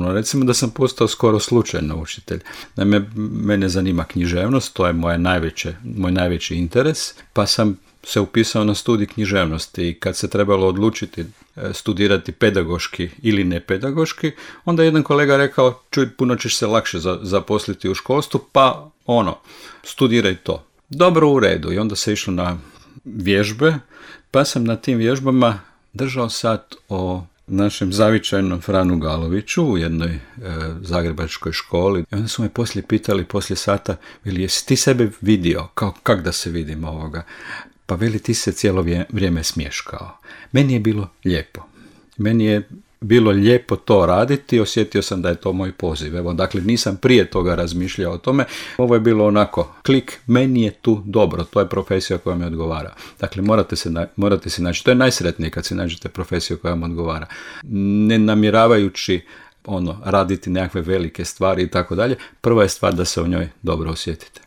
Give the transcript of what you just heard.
ponovno. Recimo da sam postao skoro slučajno učitelj. Naime, mene zanima književnost, to je moj najveći interes, pa sam se upisao na studij književnosti i kad se trebalo odlučiti studirati pedagoški ili nepedagoški, onda je jedan kolega rekao, čuj, puno ćeš se lakše zaposliti u školstvu, pa studiraj to. Dobro, u redu. I onda se išlo na vježbe, pa sam na tim vježbama držao sat o našem zavičajnom Franu Galoviću u jednoj zagrebačkoj školi. I onda su me poslije pitali, poslije sata, veli, jesi ti sebe vidio, kak da se vidim ovoga? Pa veli, ti se cijelo vrijeme smješkao. Meni je bilo lijepo. Meni je bilo lijepo to raditi, osjetio sam da je to moj poziv. Evo, dakle, nisam prije toga razmišljao o tome. Ovo je bilo onako, klik, meni je tu dobro, to je profesija koja mi odgovara. Dakle, morate se naći, to je najsretnije kad se nađete profesiju koja vam odgovara. Ne namjeravajući raditi nekakve velike stvari i tako dalje, prva je stvar da se u njoj dobro osjetite.